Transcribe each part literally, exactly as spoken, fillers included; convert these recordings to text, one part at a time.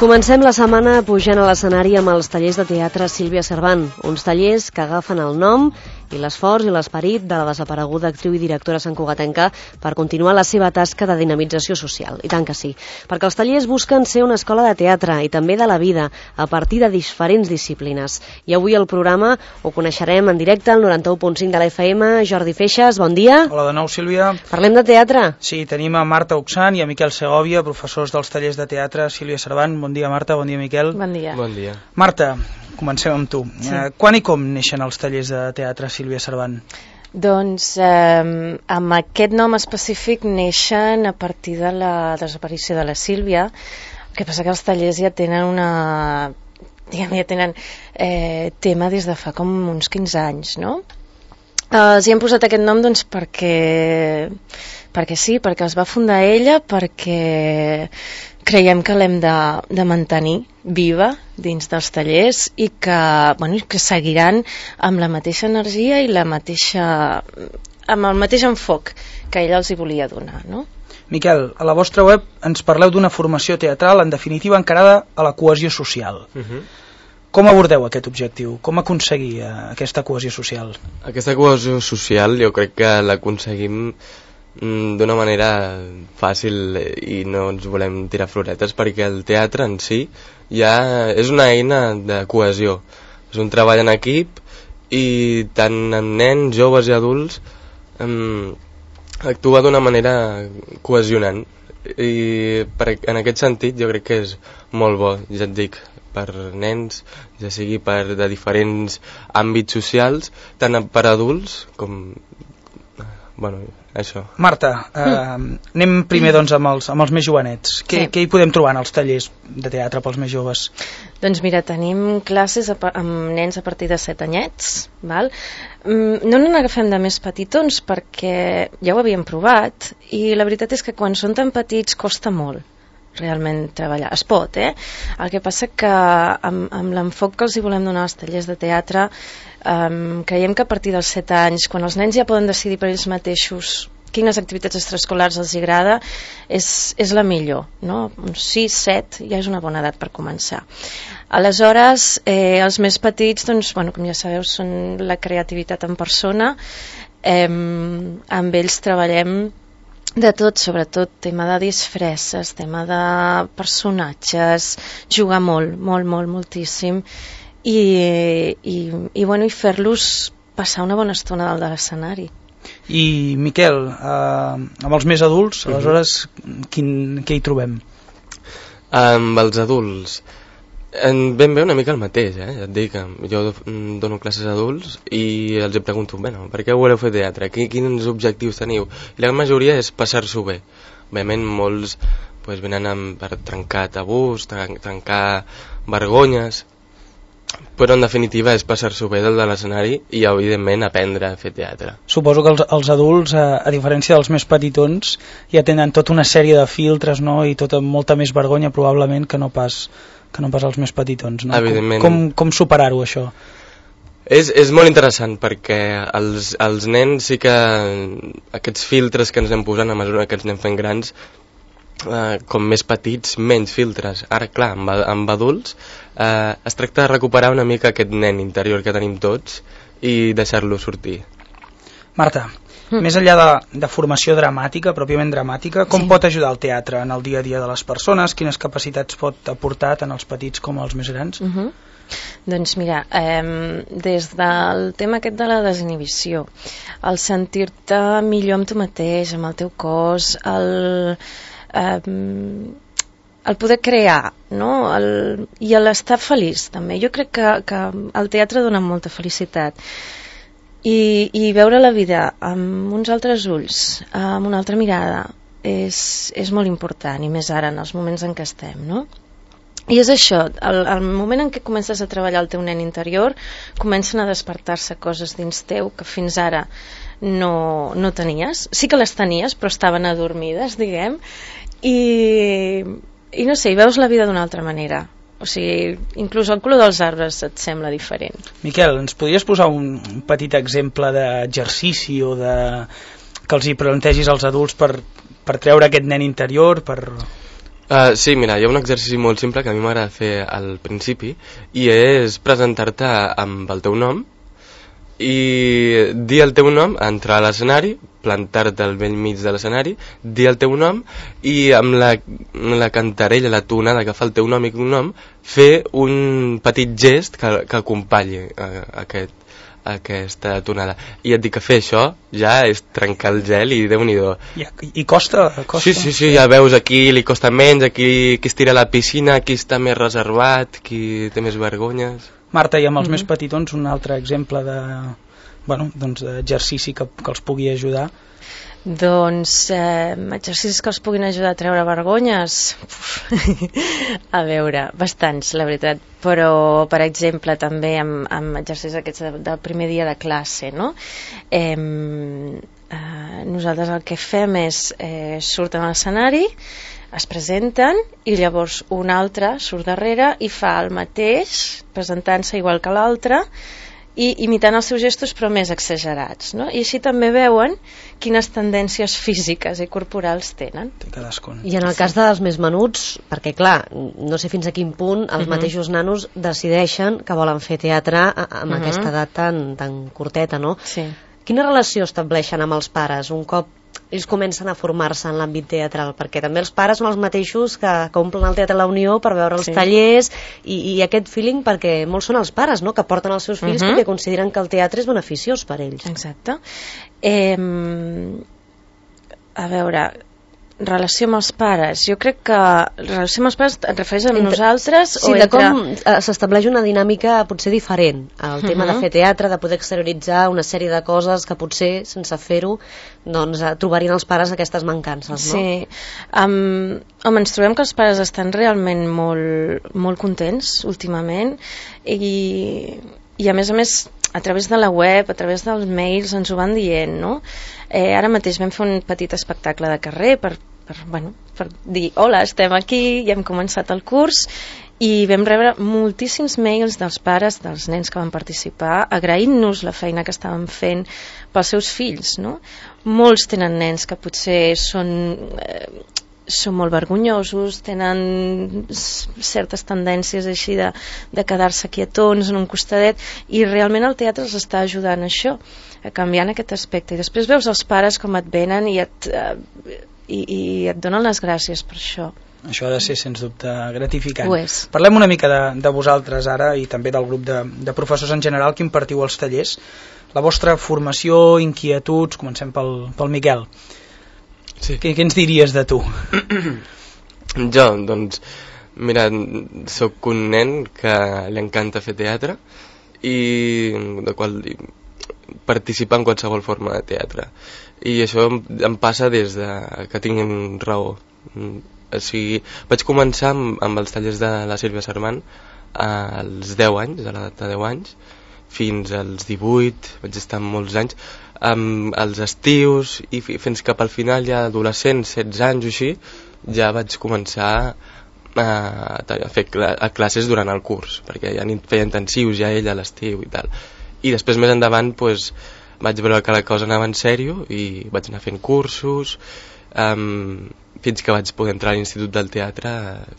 Comencem la setmana pujant a l'escenari amb els tallers de teatre Sílvia Servant, uns tallers que agafen el nom i l'esforç i l'esperit de la desapareguda actriu i directora santcugatenca per continuar la seva tasca de dinamització social. I tant que sí, perquè els tallers busquen ser una escola de teatre i també de la vida a partir de diferents disciplines. I avui al programa ho coneixerem en directe al noranta-u punt cinc de la F M. Jordi Feixas, bon dia. Hola de nou, Sílvia. Parlem de teatre? Sí, tenim a Marta Oxan i a Miquel Segovia, professors dels tallers de teatre Sílvia Servant. Bon dia, Marta, bon dia, Miquel. Bon dia. Bon dia. Marta, comencem amb tu. Sí. Eh, quan i com neixen els tallers de teatre Sílvia Servant? Doncs eh, amb aquest nom específic neixen a partir de la desaparició de la Sílvia. El que passa que els tallers ja tenen una... diguem, ja tenen eh, tema des de fa com uns quinze anys, no? Eh, els hi hem posat aquest nom doncs perquè, perquè sí, perquè els va fundar ella, perquè creiem que l'hem de, de mantenir viva dins dels tallers i que, bueno, que seguiran amb la mateixa energia i la mateixa, amb el mateix enfoc que ella els hi volia donar, no? Miquel, a la vostra web ens parleu d'una formació teatral en definitiva encarada a la cohesió social. Uh-huh. Com abordeu aquest objectiu? Com aconseguir eh, aquesta cohesió social? Aquesta cohesió social jo crec que l'aconseguim mm, d'una manera fàcil i no ens volem tirar floretes, perquè el teatre en si ja és una eina de cohesió. És un treball en equip i tant en nens, joves i adults mm, actua d'una manera cohesionant i per, en aquest sentit jo crec que és molt bo, ja et dic, per nens, ja sigui per de diferents àmbits socials, tant per adults com... bueno, això. Marta, eh, mm. anem primer doncs amb els, amb els més jovenets. Què, sí. Què hi podem trobar en els tallers de teatre pels més joves? Doncs mira, tenim classes a, amb nens a partir de set anyets, val? No n'agafem de més petitons perquè ja ho havíem provat i la veritat és que quan són tan petits costa molt realment treballar. Es pot, eh? El que passa que amb, amb l'enfoc que els hi volem donar als tallers de teatre um, creiem que a partir dels set anys, quan els nens ja poden decidir per ells mateixos quines activitats extraescolars els agrada, és, és la millor, no? Uns sis, set ja és una bona edat per començar. Aleshores, eh, els més petits, doncs, bueno, com ja sabeu, són la creativitat en persona. Eh, amb ells treballem de tot, sobretot tema de disfresses, tema de personatges, jugar molt, molt, molt, moltíssim i, i, i, bueno, i fer-los passar una bona estona dalt de l'escenari. I Miquel, eh, amb els més adults, aleshores, quin, què hi trobem? Amb els adults en ben bé una mica el mateix, eh? Ja et dic, jo dono classes a adults i els pregunto, bueno, per què voleu fer teatre? Quins objectius teniu? I la majoria és passar-s'ho bé. Òbviament molts pues, venen amb, per trencar tabús, trencar vergonyes, però en definitiva és passar-s'ho bé del de l'escenari i evidentment aprendre a fer teatre. Suposo que els, els adults, a, a diferència dels més petitons, ja tenen tota una sèrie de filtres, no? I tota molta més vergonya probablement que no pas... que no pas els més petitons, no? Evidentment. Com, com, com superar-ho, això? És, és molt interessant, perquè els, els nens sí que aquests filtres que ens anem posant a mesura que ens anem fent grans, eh, com més petits, menys filtres. Ara, clar, amb, amb adults eh, es tracta de recuperar una mica aquest nen interior que tenim tots i deixar-lo sortir. Marta, mm. més enllà de, de formació dramàtica, pròpiament dramàtica, com sí. pot ajudar el teatre en el dia a dia de les persones? Quines capacitats pot aportar tant als petits com als més grans? Uh -huh. Doncs mira, eh, des del tema aquest de la desinhibició, el sentir-te millor amb tu mateix, amb el teu cos, el, eh, el poder crear, no? el, i l'estar feliç també. Jo crec que, que el teatre dona molta felicitat. I, i veure la vida amb uns altres ulls, amb una altra mirada, és, és molt important, i més ara, en els moments en què estem, no? I és això, el, el moment en què comences a treballar el teu nen interior, comencen a despertar-se coses dins teu que fins ara no, no tenies. Sí que les tenies, però estaven adormides, diguem, i, i no sé, i veus la vida d'una altra manera. O sigui, inclús el color dels arbres et sembla diferent. Miquel, ens podries posar un petit exemple d'exercici o de... que els hi plantegis als adults per, per treure aquest nen interior, per... Uh, sí, mira, hi ha un exercici molt simple que a mi m'agrada fer al principi i és presentar-te amb el teu nom i dir el teu nom, entrar a l'escenari, plantar-te al vell mig de l'escenari, dir el teu nom i amb la, la cantarella, la tonada que fa el teu nom i cognom, fer un petit gest que, que acompanyi uh, aquest aquesta tonada. I et dic que fer això ja és trencar el gel i Déu-n'hi-do. I, i costa, costa? Sí, sí, sí, ja veus, aquí li costa menys, aquí qui es tira a la piscina, qui està més reservat, qui té més vergonyes. Marta, i amb els mm-hmm. més petitons un altre exemple de, bueno, doncs, d'exercici que, que els pugui ajudar? Doncs eh, exercicis que els puguin ajudar a treure vergonyes, a veure, bastants, la veritat, però per exemple també amb, amb exercicis aquests de, del primer dia de classe, no? Eh, eh, nosaltres el que fem és eh, surten a l'escenari, es presenten i llavors un altre surt darrere i fa el mateix, presentant-se igual que l'altre, i imitant els seus gestos però més exagerats, no? I així també veuen quines tendències físiques i corporals tenen. I en el cas dels més menuts, perquè clar, no sé fins a quin punt els uh-huh. mateixos nanos decideixen que volen fer teatre amb uh-huh. aquesta edat tan, tan curteta, no? Sí. Quina relació estableixen amb els pares un cop ells comencen a formar-se en l'àmbit teatral? Perquè també els pares són els mateixos que, que omplen el Teatre La Unió per veure els sí. tallers i, i aquest feeling, perquè molts són els pares, no?, que porten els seus fills uh-huh. perquè consideren que el teatre és beneficiós per ells. Exacte. Eh, a veure, relació amb els pares, jo crec que relació amb els pares et refereix a entre, nosaltres sí, o de entre... com s'estableix una dinàmica potser diferent al uh-huh. tema de fer teatre, de poder exterioritzar una sèrie de coses que potser sense fer-ho doncs trobarien els pares aquestes mancances, no? Sí, um, home, ens trobem que els pares estan realment molt, molt contents últimament i, i a més a més a través de la web, a través dels mails ens ho van dient, no? Eh, ara mateix vam fer un petit espectacle de carrer per, per, bueno, per dir hola, estem aquí, ja hem començat el curs i vam rebre moltíssims mails dels pares dels nens que van participar agraint-nos la feina que estàvem fent pels seus fills, no? Molts tenen nens que potser són... Eh, són molt vergonyosos, tenen certes tendències així de, de quedar-se quietons en un costadet i realment el teatre els està ajudant a això, a canviar aquest aspecte. I després veus els pares com et venen i et, uh, i, i et donen les gràcies per això. Això ha de ser sens dubte gratificant. Ho és. Parlem una mica de, de vosaltres ara i també del grup de, de professors en general que impartiu els tallers. La vostra formació, inquietuds, comencem pel, pel Miquel. Sí. Què, què ens diries de tu? Jo, doncs, mira, sóc un nen que li encanta fer teatre i de qual participar en qualsevol forma de teatre. I això em, em passa des de que tinc raó. O sigui, vaig començar amb, amb els tallers de la Sílvia Servant als deu anys, a l'edat de deu anys, fins als divuit, vaig estar molts anys, amb els estius i fins cap al final ja adolescent, setze anys o així, ja vaig començar a, a fer a classes durant el curs, perquè ja feia intensius ja ell a l'estiu i tal. I després més endavant pues, vaig veure que la cosa anava en sèrio i vaig anar fent cursos um, fins que vaig poder entrar a l'Institut del Teatre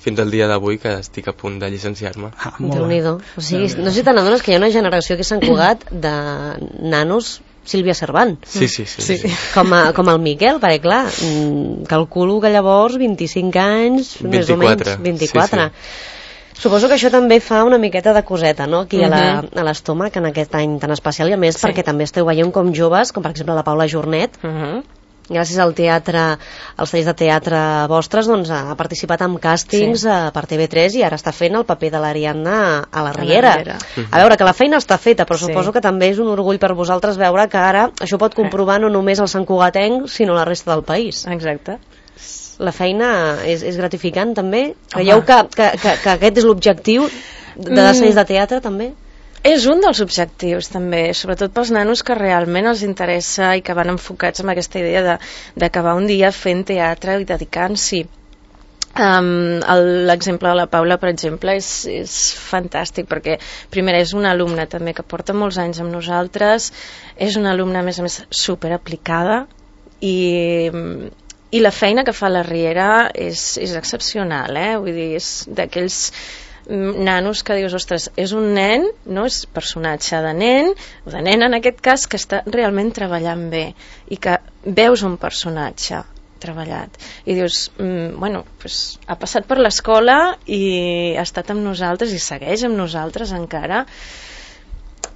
fins al dia d'avui que estic a punt de llicenciar-me. Ah, Déu-n'hi-do. O sigui, no sé si te n'adones que hi ha una generació que s'ha encugat de nanos Sílvia Servant. Sí, sí, sí. sí. sí. Com, a, com el Miquel, perquè clar, calculo que llavors vint-i-cinc anys, vint-i-quatre. Més o menys, vint-i-quatre. Sí, sí. Suposo que això també fa una miqueta de coseta, no?, aquí uh-huh. a l'estómac en aquest any tan especial, i a més sí. perquè també esteu veient com joves, com per exemple la Paula Jornet, uh-huh. gràcies al teatre, als tallers de teatre vostres, doncs ha participat en càstings sí. per T V tres i ara està fent el paper de l'Ariadna a la Riera. A, la a veure, que la feina està feta, però sí. suposo que també és un orgull per vosaltres veure que ara això pot comprovar no només el santcugatenc, sinó la resta del país. Exacte. La feina és, és gratificant també? Creieu que, que, que, que aquest és l'objectiu de descens de teatre també? És un dels objectius també, sobretot pels nanos que realment els interessa i que van enfocats amb aquesta idea d'acabar un dia fent teatre i dedicant-s'hi. Um, l'exemple de la Paula, per exemple, és, és fantàstic perquè primer és una alumna també que porta molts anys amb nosaltres, és una alumna a més a més super aplicada i, I la feina que fa la Riera és, és excepcional, eh? Vull dir, és d'aquells nanos que dius, ostres, és un nen, no és personatge de nen, o de nen en aquest cas, que està realment treballant bé i que veus un personatge treballat i dius, mm, bueno, pues, ha passat per l'escola i ha estat amb nosaltres i segueix amb nosaltres encara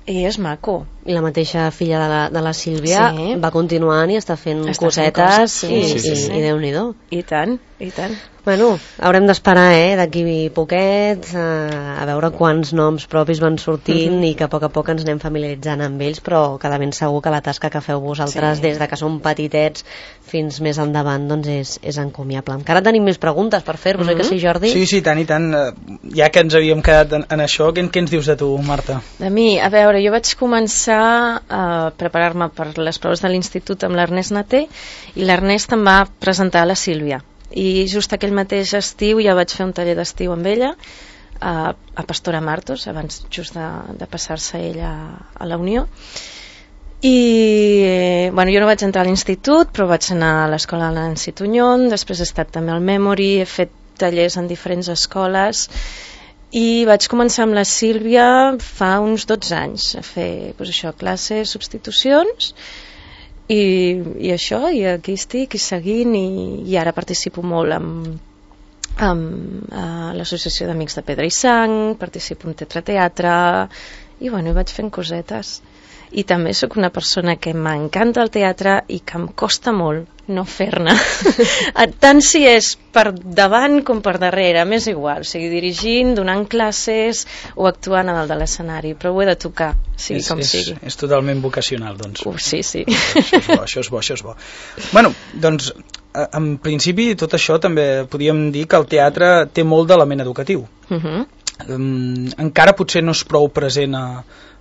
i és maco. I la mateixa filla de la, de la Sílvia sí. va continuant i està fent està cosetes fent coses, sí, i, sí, sí, sí. i, i Déu-n'hi-do. I tant, i tant. Bueno, haurem d'esperar, eh, d'aquí poquet, eh, a veure quants noms propis van sortint uh-huh. i que a poc a poc ens anem familiaritzant amb ells, però que de ben segur que la tasca que feu vosaltres sí. des de que som petitets fins més endavant doncs és, és encomiable. Encara tenim més preguntes per fer-vos, uh-huh. oi que sí, Jordi? Sí, sí, tant i tant. Ja que ens havíem quedat en, en això, què, què ens dius de tu, Marta? De mi, a veure, jo vaig començar a preparar-me per les proves de l'institut amb l'Ernest Naté i l'Ernest em va presentar a la Sílvia. I just aquell mateix estiu ja vaig fer un taller d'estiu amb ella a, a Pastora Martos, abans just de, de passar-se ella a la Unió. I bueno, jo no vaig entrar a l'institut, però vaig anar a l'escola de Nancy Tuñón, després he estat també al Memory, he fet tallers en diferents escoles i vaig començar amb la Sílvia fa uns dotze anys a fer pues, això, classes, substitucions i, i això, i aquí estic i seguint i, i ara participo molt amb, amb uh, l'associació d'amics de Pedra i Sang, participo en teatre-teatre i bueno, vaig fent cosetes i també sóc una persona que m'encanta el teatre i que em costa molt no fer-ne tant si és per davant com per darrere, m'és igual, o sigui, dirigint, donant classes o actuant a dalt de l'escenari, però ho he de tocar sigui és, com és, sigui. És totalment vocacional, doncs. Uh, sí, sí. Això és bo, això és bo, això és bo. Bueno, doncs, en principi tot això també podríem dir que el teatre té molt d'element educatiu. Uh-huh. Um, encara potser no és prou present a,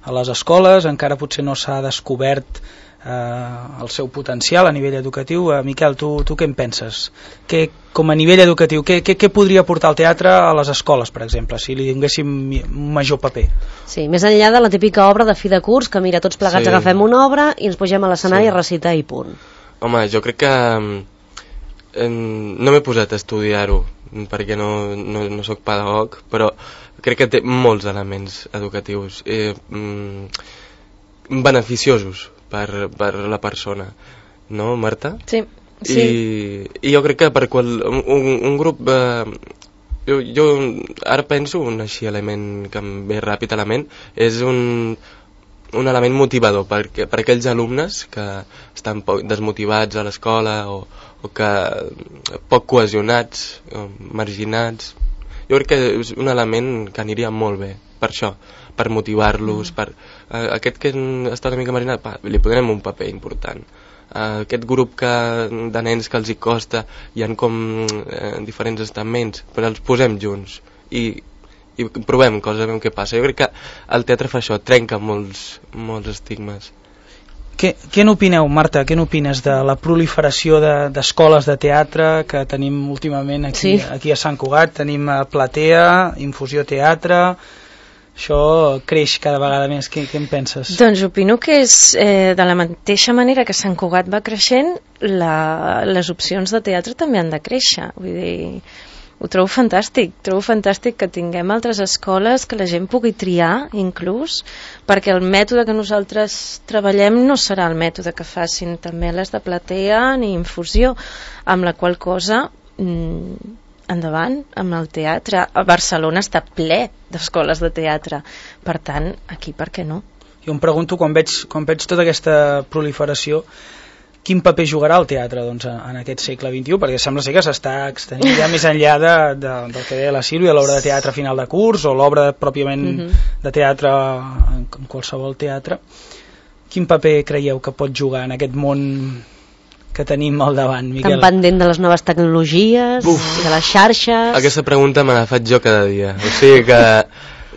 a les escoles, encara potser no s'ha descobert Uh, el seu potencial a nivell educatiu. uh, Miquel, tu, tu què en penses? Que, com a nivell educatiu, què, què, què podria portar el teatre a les escoles, per exemple, si li donéssim un major paper? Sí, més enllà de la típica obra de fi de curs, que mira, tots plegats sí. agafem una obra i ens pugem a l'escenari sí. a recitar i punt. Home, jo crec que eh, no m'he posat a estudiar-ho perquè no, no, no sóc pedagog, però crec que té molts elements educatius eh, mm, beneficiosos Per, per la persona, no, Marta? Sí, sí. I, i jo crec que per qual, un, un grup eh, jo, jo ara penso un així element que em ve ràpid a la ment és un, un element motivador per, per aquells alumnes que estan poc desmotivats a l'escola o, o que poc cohesionats o marginats. Jo crec que és un element que aniria molt bé per això, per motivar-los, mm. per uh, aquest que està una mica marginat, pa, li posarem un paper important. Uh, aquest grup que, de nens que els hi costa, hi ha com uh, diferents estaments, però els posem junts i, i provem coses, veiem què passa. Jo crec que el teatre fa això, trenca molts, molts estigmes. Què, què n'opineu, Marta? Què n'opines de la proliferació d'escoles de, de teatre que tenim últimament aquí, sí. aquí a Sant Cugat? Tenim a Platea, Infusió Teatre... Això creix cada vegada més. Què, què en penses? Doncs opino que és eh, de la mateixa manera que Sant Cugat va creixent, la, les opcions de teatre també han de créixer. Vull dir, ho trobo fantàstic. Trobo fantàstic que tinguem altres escoles, que la gent pugui triar, inclús, perquè el mètode que nosaltres treballem no serà el mètode que facin també les de Platea ni Infusió, amb la qual cosa... Mm, endavant amb el teatre. A Barcelona està ple d'escoles de teatre, per tant, aquí per què no? Jo em pregunto, quan veig, quan veig tota aquesta proliferació, quin paper jugarà el teatre doncs, en aquest segle vint-i-u, perquè sembla ser que s'està extenint ja més enllà de, de, del que deia la Sílvia, l'obra de teatre final de curs o l'obra pròpiament mm-hmm. de teatre en qualsevol teatre. Quin paper creieu que pot jugar en aquest món que tenim al davant, Miquel? Tan pendent de les noves tecnologies, Uf. de les xarxes... Aquesta pregunta me la faig jo cada dia. O sigui que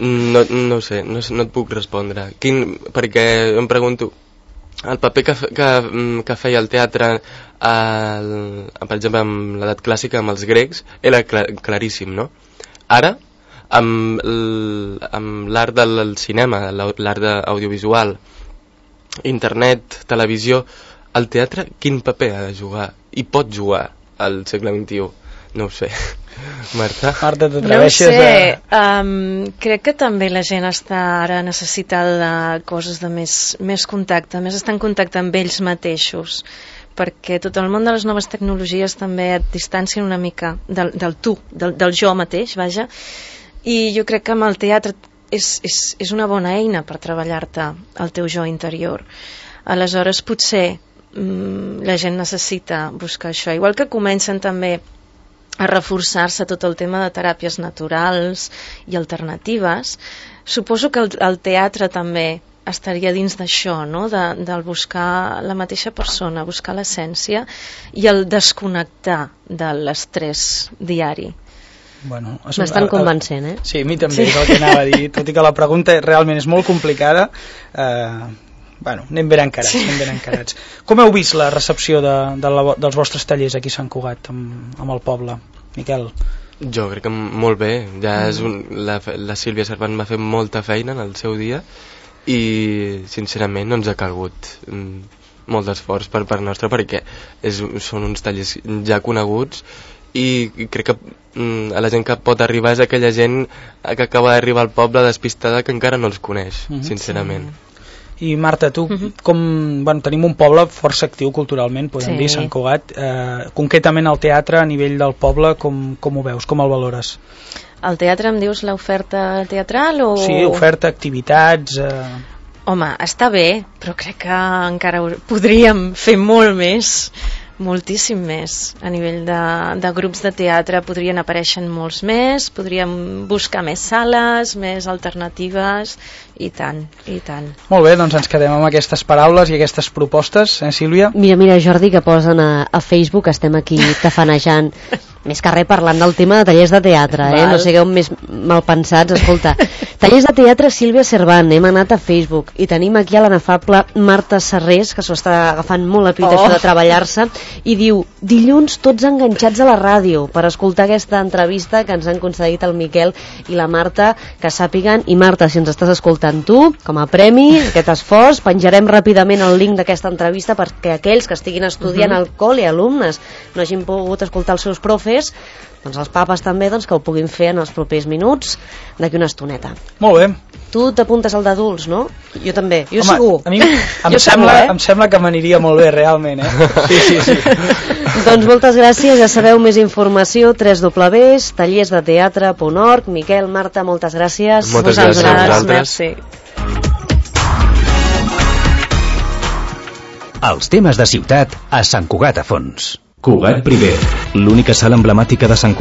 no, no ho sé, no, no et puc respondre. Quin, perquè em pregunto, el paper que, que, que feia el teatre, el, per exemple, amb l'edat clàssica, amb els grecs, era clar, claríssim, no? Ara, amb l'art del cinema, l'art audiovisual, internet, televisió, el teatre quin paper ha de jugar i pot jugar al segle vint-i-u. No ho sé. Marta? Marta, t'atreveixes no sé, a... um, crec que també la gent està ara necessitada de coses de més, més contacte, més estar en contacte amb ells mateixos, perquè tot el món de les noves tecnologies també et distancien una mica del, del tu, del, del jo mateix, vaja, i jo crec que amb el teatre és, és, és una bona eina per treballar-te el teu jo interior. Aleshores potser mm, la gent necessita buscar això, igual que comencen també a reforçar-se tot el tema de teràpies naturals i alternatives. Suposo que el, el teatre també estaria dins d'això, no? de, del buscar la mateixa persona, buscar l'essència i el desconnectar de l'estrès diari. Bueno, Bastant convencent, eh? Sí, a mi també, sí. És el que anava a dir, tot i que la pregunta realment és molt complicada. Eh, bueno, anem ben encarats, sí. anem ben encarats. Com heu vist la recepció de, de la, dels vostres tallers aquí a Sant Cugat, amb, amb el poble? Miquel? Jo crec que molt bé. Ja mm. és un, la, la Sílvia Servant va fer molta feina en el seu dia i sincerament no ens ha calgut mm, molt d'esforç per part nostra, perquè és, són uns tallers ja coneguts i crec que mm, a la gent que pot arribar és aquella gent que acaba d'arribar al poble despistada que encara no els coneix, mm-hmm. sincerament. Sí. I Marta, tu, uh-huh. com bueno, tenim un poble força actiu culturalment, podem sí. dir, Sant Cugat, eh, concretament el teatre a nivell del poble, com, com ho veus, com el valores? El teatre em dius l'oferta teatral o...? Sí, oferta, activitats... Eh... Home, està bé, però crec que encara podríem fer molt més, moltíssim més. A nivell de, de grups de teatre podrien aparèixer molts més, podríem buscar més sales, més alternatives, i tant, i tant. Molt bé, doncs ens quedem amb aquestes paraules i aquestes propostes, eh, Sílvia? Mira, mira, Jordi, que posen a, a Facebook, estem aquí tafanejant, més que res parlant del tema de tallers de teatre, eh? No sigueu més mal pensats, escolta. Tallers de teatre Sílvia Servant, hem anat a Facebook i tenim aquí a l'anafable Marta Serrés, que s'ho està agafant molt a pit oh. això de treballar-se, i diu, dilluns tots enganxats a la ràdio per escoltar aquesta entrevista que ens han concedit el Miquel i la Marta, que sàpiguen, i Marta, si ens estàs escoltant tu, com a premi, aquest esforç, penjarem ràpidament el link d'aquesta entrevista perquè aquells que estiguin estudiant uh-huh. al col·le, alumnes, no hagin pogut escoltar els seus profes, doncs els papes també doncs, que ho puguin fer en els propers minuts d'aquí una estoneta. Molt bé. Tu t'apuntes al d'adults, no? Jo també, jo Home, segur. A mi em, sembla, sembla, eh? em sembla que m'aniria molt bé, realment, eh? Sí, sí, sí. Doncs moltes gràcies, ja sabeu més informació, w w w punt tallers de teatre punt org. Miquel, Marta, moltes gràcies. Moltes gràcies a vosaltres. Merci. Els temes de ciutat a Sant Cugat a fons. Cugat Primer, l'única sala emblemàtica de Sant Cugat.